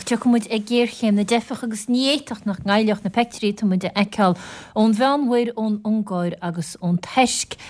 Tiocfaidh muid ar ghéarchéim na dteifeach agus ní fhéadfadh nach ngoillfeadh na peictiúirí atá muid a fheiceáil ón Mheánmhuir, ón Ungáir agus ón Tuirc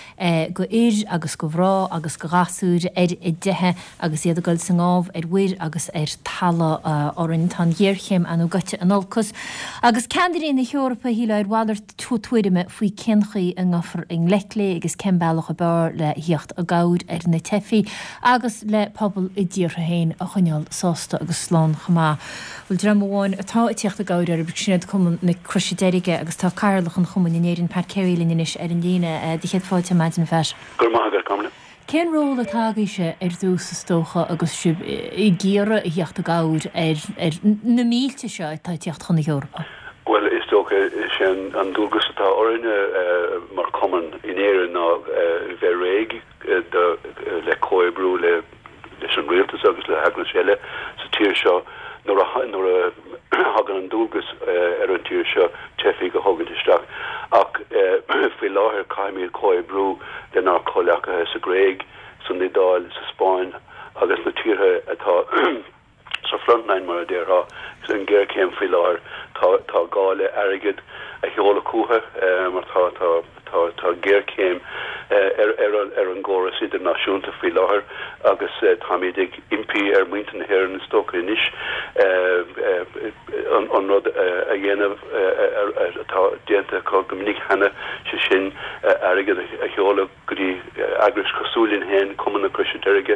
go fhir agus go mhná agus go ghasúir ar a dteitheadh agus iad ag dul sa ngábh ar mhuir agus ar talamh orainn. Tá an ghéarchéim ar ndóigh gaibhte in olcas agus ceannairí na hEorpa, shílfeá, ar mhalairt tuairime faoi cén chaoi a ngabhfar i ngleic léi agus cén bealach ab fhearr le theacht i gcabhair ar na teifigh agus le pobal a dtíortha féin a choinneáil sásta agus slán chomh maith. Bhuel, dream amháin atá ag tíocht i gcabhair orthu, sin iad Cumann na Croise Deirge agus tá Cathaoirleach an Chumainn in Éirinn, Pat Carey linn anois ar an líne. Do chéad fáilte ar maidin, a Phat. Go raibh maith agat, Carmela. Cén ról atá agaibhse ar dtús is dócha agus sibh ag iarraidh a theacht i gcabhair ar na mílte seo atá ag tíocht chun na hEorpa? Bhuel, is dócha, is é an dualgas atá orainne mar chumann in Éirinn ná bheith réidh le comhoibriú leis an rialtas agus le heagrais eile sa tír seo nuair a nuair a thagann an dualgas ar an tír seo teifigh a thógaint isteach. Ach faoi láthair caithfimid comhoibriú lenár comhleacaithe sa Ghréig, san Iodáil, sa Spáinn agus na tíortha atá sa frontline mar a déarfá, an ghéarchéim faoi láthair. Tá tá gá le airgead a sheoladh chucu mar tá tá tá tá géarchéim ar ar ar an gcóras idirnáisiúnta faoi láthair agus táimid ag impí ar mhuintir na hÉireann is dócha anois an an rud a dhéanamh atá déanta acu go minic cheana, sé sin airgead a sheoladh go dtí eagrais cosúil linn féin, Cumann na Croise Deirge,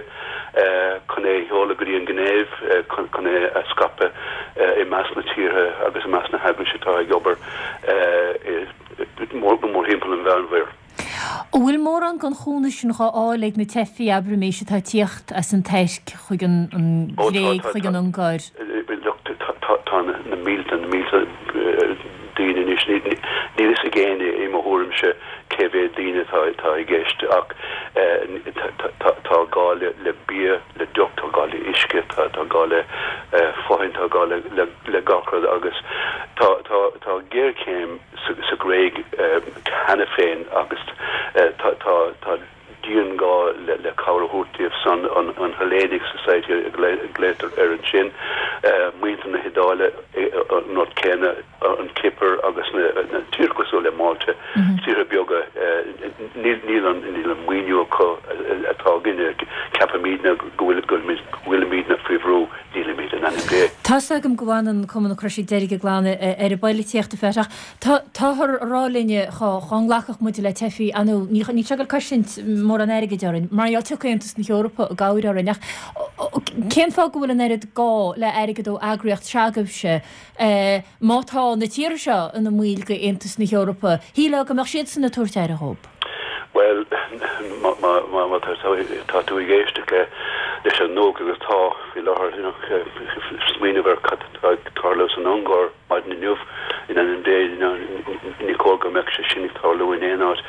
chun é a sheoladh go dtí an Ghinéiv, chun é a scaipeadh i measc na tíortha agus i measc na heagrais atá ag obair mórthimpeall an Mheánmhuir. An bhfuil mórán den chúnamh sin dhá fháil ag na teifigh, abraimis, atá ag tíocht as an Tuirc chuig an Ghréig, chuig an Ungáir? Tá na mílte, na mílte daoine anois. Níl fhios ag éinne, i mo thuairimse, cé mhéad daoine atá i gceist ach tá gá le bia, le deoch, tá gá le uisce, tá gá le fothain, tá gá le gach rud agus tá géarchéim sa Ghréig cheana féin agus tá dianghá le cabhair a thabhairt díobh san, an Hellenic Society a ghlaotar air ansin, muintir na hIodáile an rud céanna, an Chipir agus na tíortha cosúil le Málta, tíortha beaga, níl an maoiniú acu atá againne, ceapaimidne go bhfuilimidne faoi bhrú. Nílimid, in ainm Dé. Tá's agam go bhfanann Cumann na Croise Deirge glan ar an bpoilitíocht, a Phat, ach táthar a rá linne dhá nglacfadh muid le teifigh, ar ndóigh, níl sé ag dul cosaint mórán airgid orainn, mar gheall tiocfaidh Aontas na hEorpa i gcabhair orainn, ach cén fáth go bhfuil an oiread gá le airgead ó eagraíocht se'agaibhse má tá na tíortha seo ina mbaill de Aontas na hEorpa, shílfeá go mbeadh siadsan ag tabhairt aire dhóibh. Bhuel, má tá tú ag éisteacht leis an nuacht agus tá faoi láthair, you know, smaoineamh ar cad atá ag tarlú san Ungáir maidin inniu, in ainm Dé, you know, ní cóir go mbeadh sé sin ag tarlú in aon áit.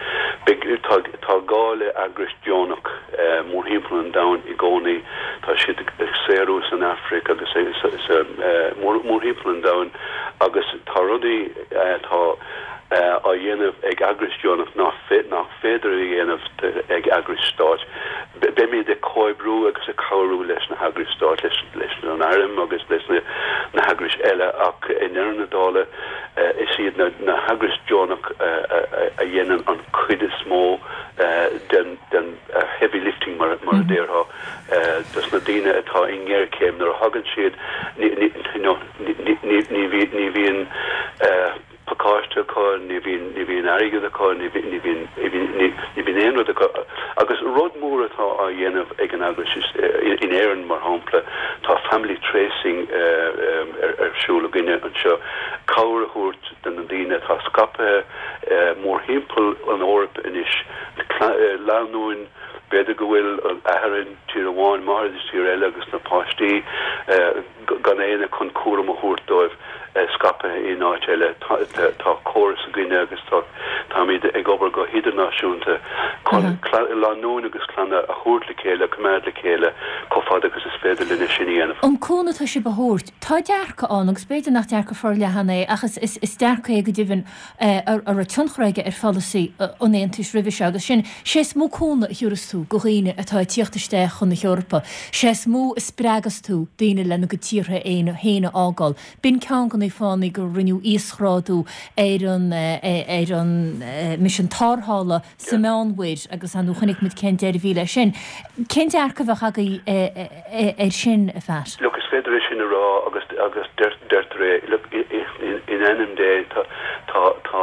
Beidh, tá, tá gá le eagrais deonach mórthimpeall an domhain i gcónaí. Tá siad ag saothrú san Afraic agus sa, mórthimpeall an domhain agus tá rudaí atá á dhéanamh ag eagrais deonach nach féidir a dhéanamh ag eagrais stáit. Beimid ag comhoibriú agus ag cabhrú leis na heagrais stáit, leis an airm agus leis na heagrais eile ach i ndeireadh na dála is iad na heagrais deonach a dhéanann an chuid is mó den heavy lifting mar a déarfá dos na daoine atá i ngéarchéim nuair a thagann siad ní bhíonn pacáiste acu, ní bhíonn, ní bhíonn airgead acu, ní bhíonn, ní bhíonn, ní, ní bhíonn aon rud acu. Agus rud mór atá á dhéanamh ag an eagrais is, in Éirinn mar shampla, tá family tracing ar, ar siúl againne anseo, cabhair a thabhairt do na daoine atá scaipthe mórthimpeall an Eoraip anois, lánúin, b'fhéidir go bhfuil athair in tír amháin, máthair i tír eile agus na páistí, gan éinne chun cúram a thabhairt dóibh, scaipthe in áit eile. Tá córas againne agus tá. Táimid ag obair go hidirnáisiúnta chun lánúin agus clanna a thabhairt le chéile, a choimeád le chéile chomh fada agus is féidir linn é sin a dhéanamh. An cúnamh atá sibh a thabhairt, tá dearcadh ann, agus b'fhéidir nach dearcadh forleathan é, ach is dearcadh é go deimhin a raibh tionchar aige ar pholasaí an Aontais roimhe seo, agus sin, sé is mó cúnamh a thiúrfas tú go dhaoine atá ag tíocht isteach chun na hEorpa, sé is mó a spreagas tú daoine lena gcuid tíortha féin a fhágáil. B'in ceann de na fáthanna gur rinneadh íosghrádú ar an ar an misean tarrthála sa Meánmhuir agus ar ndóigh chonaic muid cén deireadh a bhí leis sin. Cén dearcadh a bheadh agaibh air sin, a Phat? Look, is féidir é sin a rá agus agus deirtear é, look, in ainm Dé, tá tá tá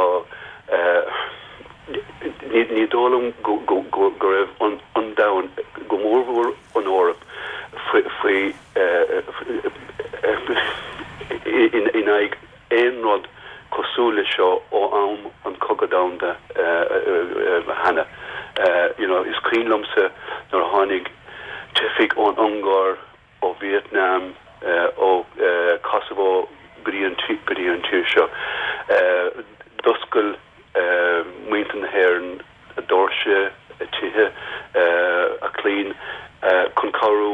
ní ní dóigh liom go go go go raibh an an domhan, go mórmhór an Eoraip, faoi faoi in aghaidh aon rud cosúil leis seo ó am an Cogadh Domhanda cheana. You know, is cuimhin liomsa nuair a tháinig teifigh ón Ungáir, ó Vietnam, ó Kosovo go dtí an go dtí an tír seo. D'oscail muintir na hÉireann a doirse, a tithe, a clainn chun cabhrú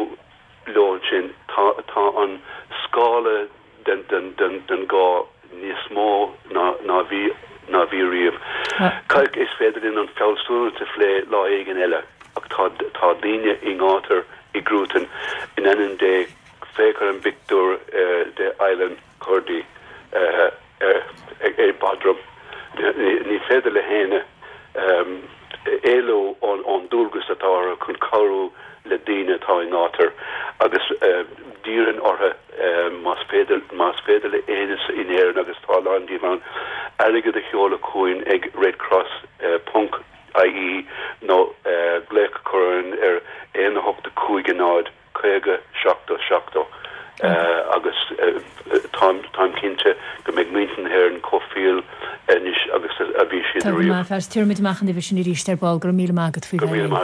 leo ansin. Tá tá an scála den den den den gá níos mó ná ná bhí ná bhí riamh. Is féidir linn an fealsúnacht a phlé lá éigin eile ach tá tá daoine i ngátar i gcruatan in ainm Dé féach ar an bpictiúr de Aylan Kurdi ar Bodrum. Ní féidir le héinne éalú ón dualgas atá orthu chun cabhrú le daoine atá i ngátar agus d'iarrfainn orthu más féidir, más féidir le éinne in Éirinn, agus tá a lán díobh ann, airgead a sheoladh chugainn ag redcross ponc ie nó glaoch a chur orainn ar 1 8 5 0 50 70 70 agus táim cinnte go mbeidh muintir na hÉireann chomh fial anois agus a bhí siad ariamh. Tá go maith, a Phat. Tabharfaimid amach an uimhir sin arís ar ball. Go raibh míle maith agat faoi bheith linn.